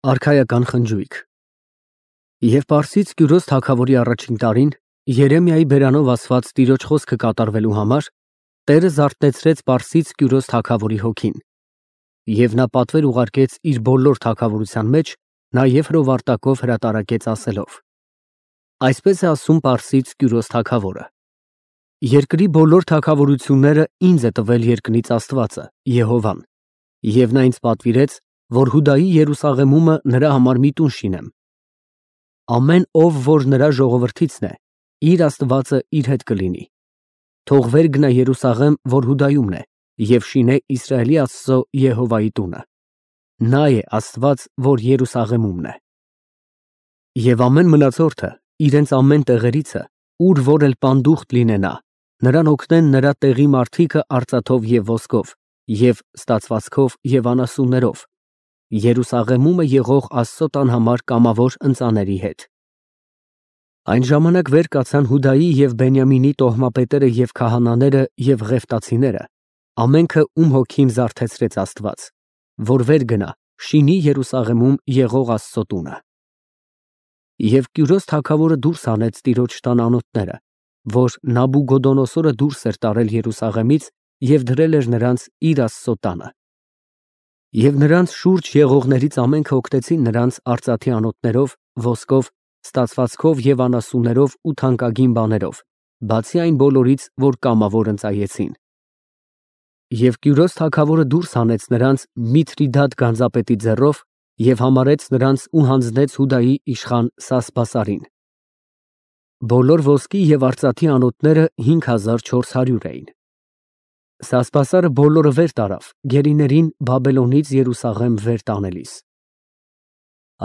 Արքայական խնջույք։ Եվ Պարսից Կյուրոս թագավորի առաջին տարին Երեմիայի բերանով ասված տիրոջ խոսքը կատարվելու համար Տերը զարթնեցրեց Պարսից Կյուրոս թագավորի հոգին, և նա պատվեր ուղարկեց իր բոլոր թագավորության մեջ, նաև հրովարտակով հրատարակեց ասելով. այսպես է ասում Պարսից Կյուրոս թագավորը. երկրի բոլոր թագավորությունները ինձ է տվել երկնից Աստվածը, Եհովան, և նա ինձ պատվիրեց, որ Հուդայի Երուսաղեմումը նրա համար մի տուն շինեմ։ Ամեն ով, որ նրա ժողովրդիցն է, իր Աստվածը իր հետ կլինի։ Թող վեր գնա Երուսաղեմ, որ Հուդայումն է, և շինե Իսրայելի Աստծո Եհովայի տունը։ Նա է Աստված, որ Երուսաղեմումն է։ Եվ ամեն մնացորդը իրենց ամեն տեղերիցը, ուր որ էլ պանդուխտ լինենա, նրան օգնեն նրա տեղի մարդիկը արծաթով և ոսկով, և ստացվածքով և անասուններով, Երուսաղեմումը եղող Աստծո տան համար կամավոր ընծաների հետ։ Այն ժամանակ վեր կացան Հուդայի և Բենյամինի տոհմապետերը և քահանաները և ղևտացիները, ամենքը ում հոգին զարթեցրեց Աստված, որ վեր գնա, շինի Երուսաղեմում եղող Աստծո տունը։ Եվ Կյուրոս թագավորը դուրս հանեց տիրոջ տան անոթները, որ Նաբուգոդոնոսորը դուրս էր տարել Երուսաղեմից և դրել էր նրանց իր Աստծո տանը։ Եվ նրանց շուրջ եղողներից ամենքը օգնեցին նրանց արծաթի անոթներով, ոսկով, ստացվածքով և անասուններով ու թանկագին բաներով, բացի այն բոլորից, որ կամավոր ընծայեցին։ Եվ Կյուրոս թագավորը դուրս հանեց նրանց Միթրիդատ գանձապետի ձեռով և համարեց նրանց ու հանձնեց Հուդայի իշխան Սասբասարին։ Բոլոր ոսկի և արծաթի անոթները 5400 էին։ Սասբասարը բոլորը վեր տարավ գերիներին Բաբելոնից Երուսաղեմ վեր տանելիս։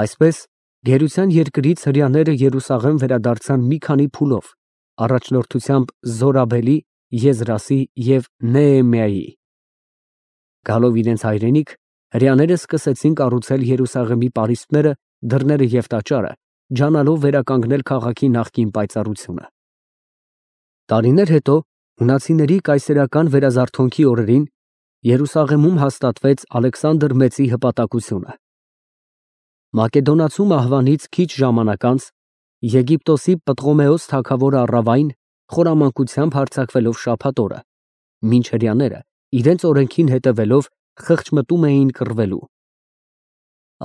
Այսպես գերության երկրից հրեաները Երուսաղեմ վերադարձան մի քանի փուլով, առաջնորդությամբ Զորաբելի, Եզրասի և Նեեմիայի։ Գալով իրենց հայրենիք, հրեաները սկսեցին կառուցել Երուսաղեմի պարիսպները, դռները և տաճարը, ջանալով վերականգնել քաղաքի նախկին պայծառությունը։ Տարիներ հետո հունացիների կայսերական վերազարթոնքի օրերին Երուսաղեմում հաստատվեց Ալեքսանդր Մեծի հպատակությունը։ Մակեդոնացու մահվանից քիչ ժամանակ անց Եգիպտոսի Պտղոմեոս թագավորը առավ այն, խորամանկությամբ հարձակվելով շաբաթ օրը, մինչ հրեաները իրենց օրենքին հետևելով խղճմտում էին կռվելու։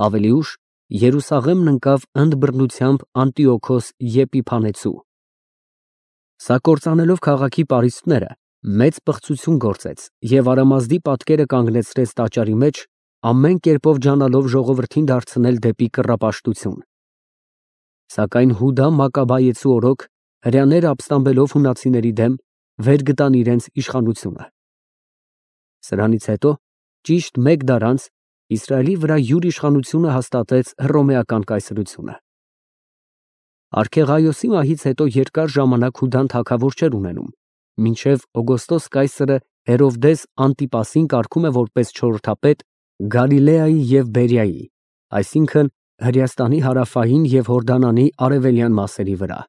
Ավելի ուշ Երուսաղեմն ընկավ ընդբռնությամբ Անտիոքոս Եպիփանեցու։ Սա կործանելով քաղաքի պարիսպները, մեծ պղծություն գործեց և Արամազդի պատկերը կանգնեցրեց տաճարի մեջ, ամեն կերպով ջանալով ժողովրդին դարձնել դեպի կռապաշտություն։ Սակայն Հուդա Մակաբայեցու օրոք հրեաները ապստամբելով հունացիների դեմ, վեր գտան իրենց իշխանությունը։ Սրանից հետո, ճիշտ մեկ դար անց, Իսրայելի վրա յուր իշխանությունը հաստատեց Հռոմեական կայսրությունը։ Արքեղայոսի մահից հետո երկար ժամանակ Հուդան թագավոր չէր ունենում, մինչև Օգոստոս կայսրը Հերովդես Անտիպասին կարգում է որպես չորրորդապետ Գալիլեայի և Բերիայի, այսինքն Հրեաստանի հարավային և Հորդանանի արևելյան մասերի վրա։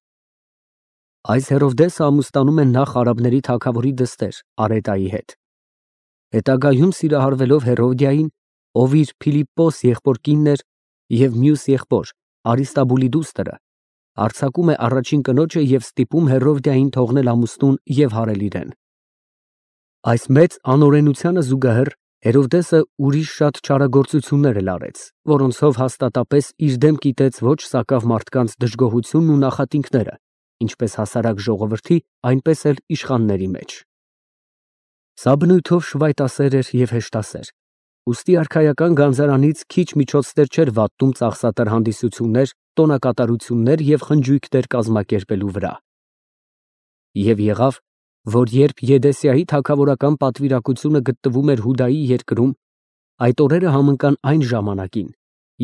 Այս Հերովդեսը ամուսնանում է նախ արաբների թագավորի դստեր Արետայի հետ։ Հետագայում սիրահարվելով Հերովդիային, ով իր Փիլիպպոս եղբոր կինն էր, և մյուս եղբոր Արիստաբուլի դուստրը, արձակում է առաջին կնոջը և ստիպում Հերովդիային թողնել ամուսնուն և հարել իրեն։ Այս մեծ անօրենությանը զուգահեռ Հերովդեսը ուրիշ շատ չարագործություններ էլ արեց, որոնցով հաստատապես իր դեմ կիտեց ոչ սակավ մարդկանց դժգոհությունն ու նախատինքները, ինչպես հասարակ ժողովրդի, այնպես էլ իշխանների մեջ։ Սա բնույթով շվայտասեր էր և հեշտասեր, ուստի արքայական գանձարանից քիչ միջոցներ չէր վատնում ծախսատար հանդիսություններ, տոնակատարություններ և խնջույքներ կազմակերպելու վրա։ Եվ եղավ, որ երբ Եդեսիայի թագավորական պատվիրակությունը գտնվում էր Հուդայի երկրում, այդ օրերը համընկան այն ժամանակին,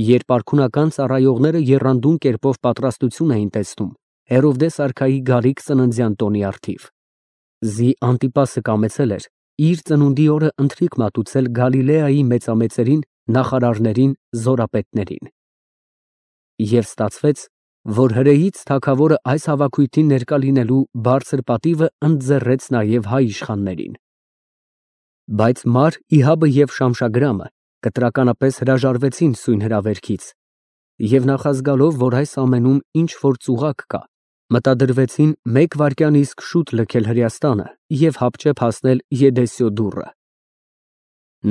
երբ արքունական ծառայողները եռանդուն կերպով պատրաստություն էին տեսնում Հերովդես արքայի գալիք ծննդյան տոնի առթիվ։ Զի Անտիպասը կամեցել էր իր ծնունդի օրը ընթրիք մատուցել Գալիլեայի մեծամեծերին, նախարարներին, զորապետներին։ Եվ ստացվեց, որ հրեից թագավորը այս հավաքույթին ներկա լինելու բարձր պատիվը ընդձեռեց նաև հայ իշխաններին։ Բայց Մար Իհաբը և Շամշագրամը կտրականապես հրաժարվեցին սույն հրավերքից Եվ նախազգալով, որ այս ամենում ինչ որ ծուղակ կա, մտադրվեցին մեկ վայրկյան իսկ շուտ լքել Հրեաստանը և հապճեպ հասնել Եդեսյո դուռը։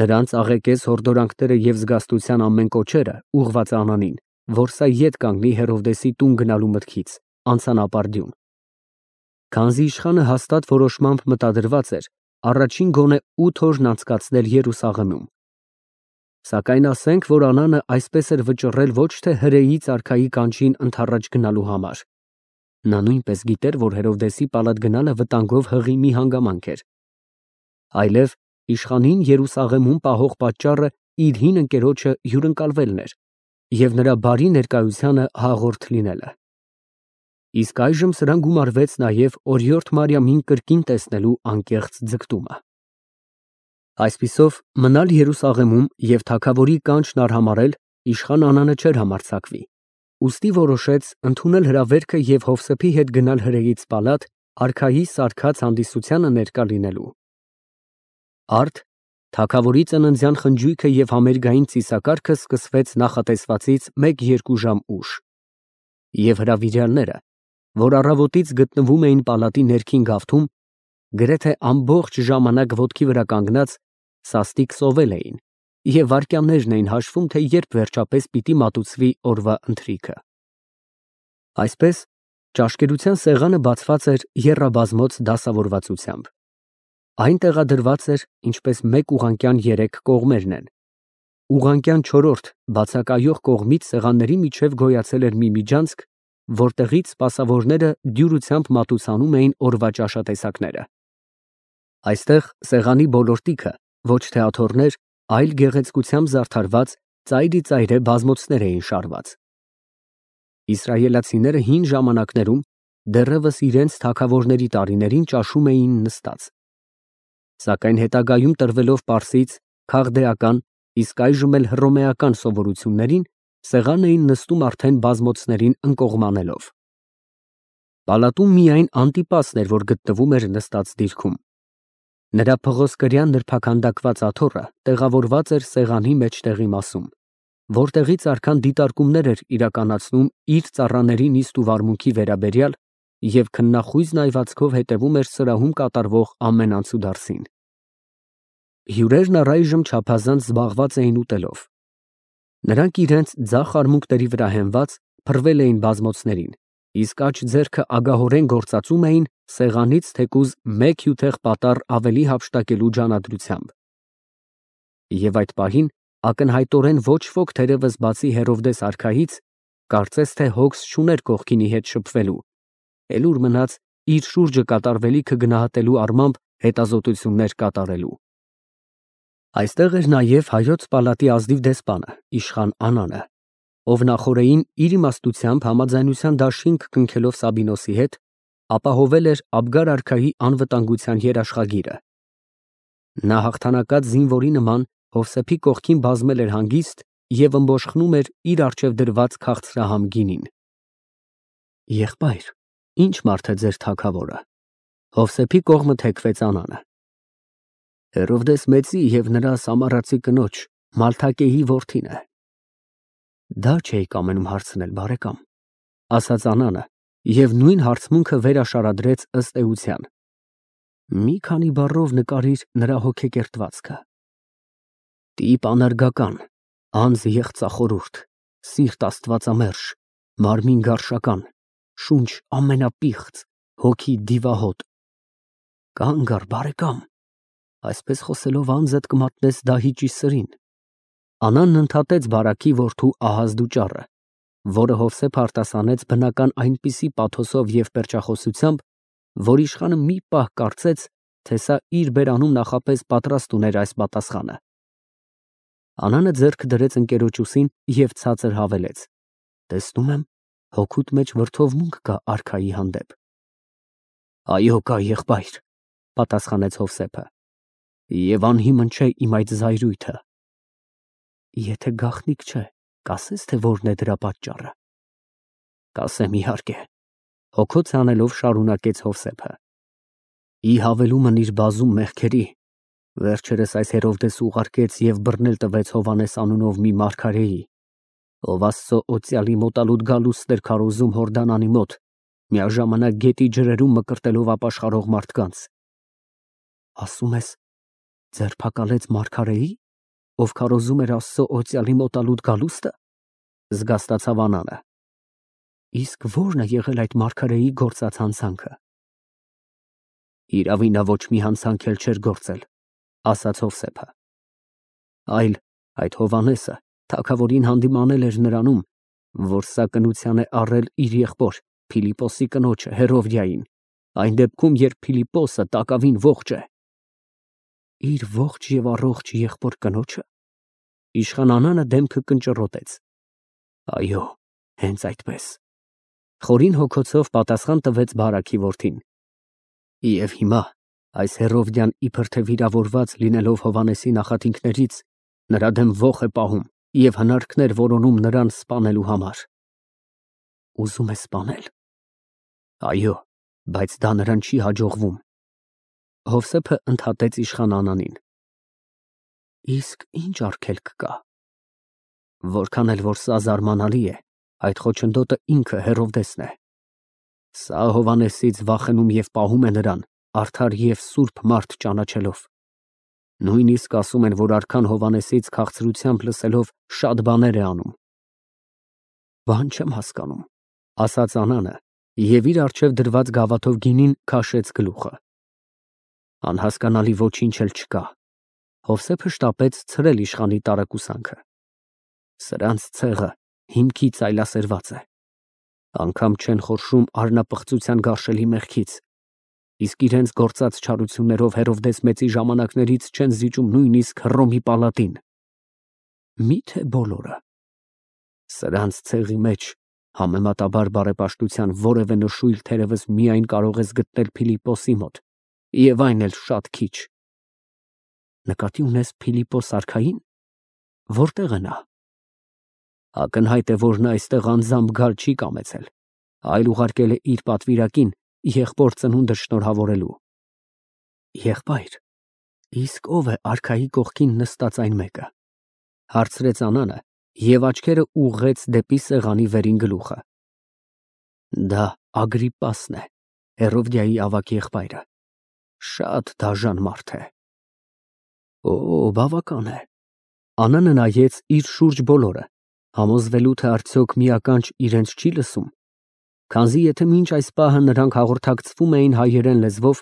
Նրանց աղեկես հորդորանքները և զգաստության ամեն կոչերը ուղղված Անանին, որ սա ետ կանգնի Հերովդեսի տուն գնալու մտքից, անցան ապարդյուն։ Քանզի իշխանը հաստատ որոշմամբ մտադրված էր առաջին գոնե 8 օրն անցկացնել Երուսաղեմում։ Սակայն ասենք, որ Անանը այսպես էր վճռել ոչ թե հրեից արքայի կանչին ընդառաջ գնալու համար։ Նա նույնպես գիտեր, որ Հերովդեսի պալատ գնալը վտանգով հղի մի հանգամանք էր, այլև իշխանին Երուսաղեմում պահող պատճառը իր հին ընկերոջը հյուրընկալվելն էր և նրա բարի ներկայությանը հաղորդ լինելը։ Իսկ այժմ սրան գումարվեց նաև օրիորդ Մարիամին կրկին տեսնելու անկեղծ ձգտումը։ Այսպիսով, մնալ Երուսաղեմում և թագավորի կանչն արհամարհել իշխան Անանը չէր համարձակվի, ուստի որոշեց ընդունել հրավերքը և Հովսեփի հետ գնալ հրեից պալատ արքայի սարքած հանդիսությանը ներկա լինելու։ Արդ թագավորի ծննդյան խնջույքը և համերգային ծիսակարգը սկսվեց նախատեսվածից 1-2 ժամ ուշ, և հրավիրյալները, որ առավոտից գտնվում էին պալատի ներքին գավթում, գրեթե ամբողջ ժամանակ ոտքի վրա կանգնած, սաստիկ սովել էին և վայրկյաններն էին հաշվում, թե երբ վերջապես պիտի մատուցվի օրվա ընթրիքը։ Այսպես, ճաշկերության սեղանը բացված էր եռաբազմոց դասավորվածությամբ։ Այն տեղադրված էր, ինչպես մեկ ուղղանկյան 3 կողմերն են։ Ուղղանկյան չորրորդ բացակայող կողմից սեղանների միջև գոյացել էր մի միջանցք, որտեղից սպասավորները դյուրությամբ մատուցանում էին օրվա ճաշատեսակները։ Այստեղ սեղանի բոլոր տիքը ոչ թե աթոռներ, այլ գեղեցկությամբ զարդարված ծայրի ծայրե բազմոցներ էին շարված։ Իսրայելացիները հին ժամանակներում դեռևս իրենց թագավորների տարիներին ճաշում էին նստած։ Սակայն հետագայում տրվելով պարսից, քաղդեական, իսկ այժմ էլ հռոմեական սովորություններին, սեղան էին նստում արդեն բազմոցներին ընկողմանելով։ Պալատում միայն Անտիպասն էր, որ գտնվում էր նստած դիրքում։ Նրա փղոսկրյան նրբաքանդակված աթոռը տեղավորված էր սեղանի մեջտեղի մասում, որտեղից արքան դիտարկումներ էր իրականացնում իր ծառաների նիստ ու վարմունքի վերաբերյալ և քննախույզ նայվածքով հետևում էր սրահում կատարվող ամեն անցուդարձին։ Հյուրերն առայժմ չափազանց զբաղված էին ուտելով։ Նրանք իրենց ձախ արմունկների վրա հենված փռվել էին բազմոցներին, իսկ աջ ձեռքը ագահորեն գործածում էին սեղանից թեկուզ մեկ հյութեղ պատառ ավելի հափշտակելու ջանադրությամբ։ Եվ այդ պահին ակնհայտորեն ոչ ոք թերևս բացի Հերովդես արքայից, կարծես թե հոգս չուներ կողքինի հետ շփվելու, էլ ուր մնաց իր շուրջը կատարվելիքը գնահատելու առմամբ հետազոտություններ կատարելու։ Այստեղ էր նաև հայոց պալատի ազնիվ դեսպանը, իշխան Անանը, ով նախօրեին իր իմաստությամբ համաձայնության դաշինք կնքելով Սաբինոսի հետ, ապահովել էր Աբգար արքայի անվտանգության երաշխագիրը։ Նա հաղթանակած զինվորի նման Հովսեփի կողքին բազմել էր հանգիստ և ըմբոշխնում էր իր առջև դրված քաղցրահամ գինին։ Եղբայր, ի՞նչ մարդ է ձեր թագավորը։ Հովսեփի կողմը թեքվեց Անանը։ Հերովդես մեծի և նրա սամարացի կնոջ Մալթակեի որդին է։ Դա չէի կամենում հարցնել, բարեկամ, ասաց Անանը և նույն հարցմունքը վերաշարադրեց ըստ էության։ Մի քանի բառով նկարիր նրա հոգեկերտվածքը։ Տիպ անարգական, անձ եղծախորհուրդ, սիրտ աստվածամերժ, մարմին գարշական, շունչ ամենապիղծ, հոգի դիվահոտ։ Կանգ առ, բարեկամ, այսպես խոսելով անձդ կմատնես դահիճի սրին։ Անանն ընդհատեց բարաքի որդու Ահազդու ճառը, որը Հովսեփ արտասանեց բնական այնպիսի պաթոսով և պերճախոսությամբ, որ իշխանը մի պահ կարծեց, թե սա իր բերանում նախապես պատրաստ ուներ այս պատասխանը։ Անանը ձեռքը դրեց ընկերոջ ուսին և ցածր հավելեց. Տեսնում եմ, հոգուդ մեջ վրդովմունք կա արքայի հանդեպ։ Այո, կա, եղբայր, պատասխանեց Հովսեփը, և անհիմն չէ իմ այդ զայրույթը։ Եթե գաղտնիք չէ, կասես, թե որն է դրա պատճառը։ Կասեմ, իհարկե, հոգոց հանելով շարունակեց Հովսեփը։ Ի հավելումն իր բազում մեղքերի, վերջերս այս Հերովդեսը ուղարկեց և բռնել տվեց Հովհաննես անունով մի մարգարեի, Ով Աստծո օծյալի մոտալուտ գալուստներ քարոզում Հորդանանի մոտ, միաժամանակ գետի ջրերում մկրտելով ապաշխարող մարդկանց։ Ասում ես, ձերբակալեց Մարգարեի, ով քարոզում էր Աստծո օծյալի մոտալուտ գալուստը, զգաստացավ Անանը։ Իսկ ո՞րն է եղել այդ Մարգարեի գործած հանցանքը։ Իրավի նա ոչ մի հանցանք էլ չէր գործել, ասաց Հովսեփը, այլ այդ Հովանեսը թագավորին հանդիմանել էր նրանում, որ սա կնության է առել իր եղբոր Փիլիպոսի կնոջը Հերովդիային, այն դեպքում, երբ Փիլիպոսը տակավին ողջ է։ Իր ողջ եւ առողջ եղբոր կնոջը։ Իշխան Անանը դեմքը կնճռոտեց։ Այո, հենց այդպես։ Խորին հոգոցով պատասխան տվեց Բարաքի որդին։ Եվ հիմա այս Հերովդյան իբր թե վիրավորված լինելով Հովանեսի նախատինքներից, նրա դեմ ոխ է պահում և հնարքներ որոնում նրան սպանելու համար։ Ուզում է սպանել։ Այո, բայց դա նրան չի հաջողվում։ Հովսեփը ընդհատեց իշխան Անանին։ Իսկ ինչ արգելք կա։ Որքան էլ որ սա զարմանալի է, այդ խոչընդոտը ինքը Հերովդեսն է։ Սա Հովանեսից վախենում և պահում է նրան, արդար և սուրբ մարդ ճանաչելով։ Նույնիսկ ասում են, որ արքան Հովանեսից քաղցրությամբ լսելով շատ բաներ է անում։ Բան չեմ հասկանում, ասաց Անանը և իր առջև դրված գավաթով գինին քաշեց գլուխը։ Անհասկանալի ոչինչ էլ չկա։ Հովսեփը շտապեց ցրել իշխանի տարակուսանքը։ Սրանց ցեղը հիմքից այլասերված է։ Անգամ չեն խորշում արնապղծության գարշելի մեղքից, իսկ իրենց գործած չարություններով Հերովդես մեծի ժամանակներից չեն զիջում նույնիսկ Հռոմի պալատին։ Միթե բոլորը։ Սրանց ցեղի մեջ համեմատաբար բարեպաշտության որևէ նշույլ թերևս միայն կարող ես գտնել Փիլիպոսի մոտ, և այն էլ շատ քիչ։ Նկատի ունես Փիլիպոս արքային, որտեղ է նա։ Ակնհայտ է, որ նա այստեղ անձամբ գալ չի կամեցել, այլ ուղարկել է իր պատվիրակին եղբոր ծնունդը շնորհավորելու։ Եղբայր, իսկ ով է արքայի կողքին նստած այն մեկը, հարցրեց Անանը և աչքերը ուղղեց դեպի սեղանի վերին գլուխը։ Դա Ագրիպպասն է, Հերովդիայի ավագ եղբայրը։ Շատ դաժան մարդ է։ Օ, բավական է։ Անանը նայեց իր շուրջ բոլորը, համոզվելու թե արդյոք մի ականջ իրենց չի լսում, քանզի եթե մինչ այս պահը նրանք հաղորդակցվում էին հայերեն լեզվով,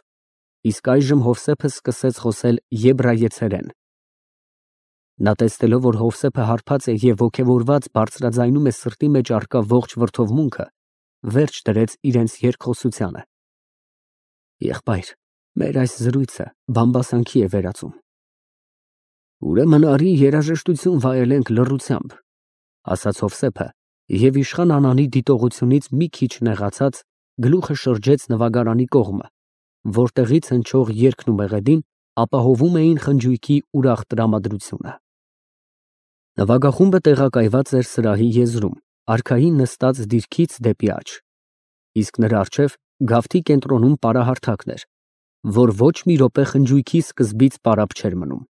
իսկ այժմ Հովսեփը սկսեց խոսել եբրայեցերեն։ Նա տեսնելով, որ Հովսեփը հարբած է և ոգևորված բարձրաձայնում է սրտի մեջ առկա ողջ վրդովմունքը, վերջ դրեց իրենց երկխոսությանը։ Եղբայր, մեր այս զրույցը բամբասանքի է վերածում։ Ուրեմն արի երաժշտություն վայելենք լռությամբ, ասաց Հովսեփը և իշխան Անանի դիտողությունից մի քիչ նեղացած գլուխը շրջեց նվագարանի կողմը, որտեղից հնչող երգն ու մեղեդին ապահովում էին խնջույքի ուրախ տրամադրությունը։ Նվագախումբը տեղակայված էր սրահի եզրում, արքային նստած դիրքից դեպի աջ, իսկ նրա առջև գավթի կենտրոնում պարահարթակն էր, որ ոչ մի րոպե խնջույքի սկզբից պարապ չէր մնում։